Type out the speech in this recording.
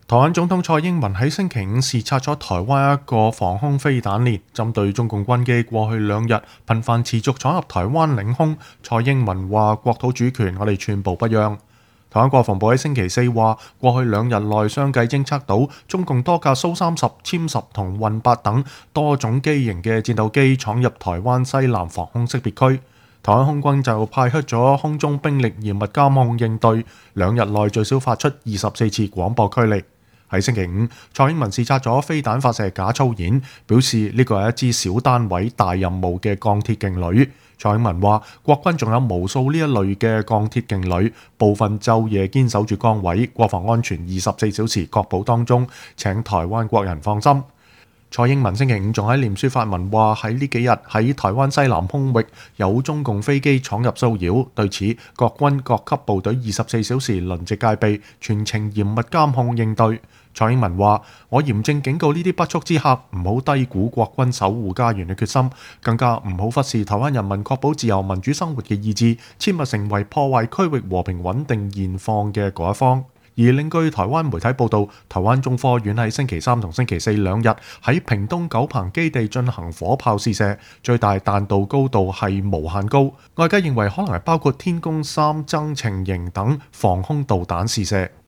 台灣總統蔡英文喺星期五視察咗台灣一個防空飛彈鏈，針對中共軍機過去2日頻繁持續闖入台灣領空。蔡英文話：國土主權我哋寸步不讓。台灣國防部喺星期四話，過去2日內相繼偵測到中共多架蘇30、殲10同運8等多種機型嘅戰鬥機闖入台灣西南防空識別區。台灣空軍就派出咗空中兵力嚴密監控應對，2日內最少發出24次廣播驅離。喺星期五，蔡英文視察咗飛彈發射假操演，表示呢個係一支小單位大任務嘅鋼鐵勁旅。蔡英文話：國軍仲有無數呢一類嘅鋼鐵勁旅，部分晝夜堅守住崗位，國防安全24小時確保當中，請台灣國人放心。蔡英文星期五仲喺臉書發文話：喺呢幾日喺台灣西南空域有中共飛機闖入騷擾，對此國軍各級部隊24小時輪值戒備，全程嚴密監控應對。蔡英文話：我嚴正警告呢啲不速之客，唔好低估國軍守護家園嘅決心，更加唔好忽視台灣人民確保自由民主生活嘅意志，切勿成為破壞區域和平穩定現況嘅嗰一方。而另據台灣媒體報道，台灣中科院喺星期三同星期四2日喺屏東九鵬基地進行火炮試射，最大彈道高度係無限高，外界認為可能係包括天宮3增程型等防空導彈試射。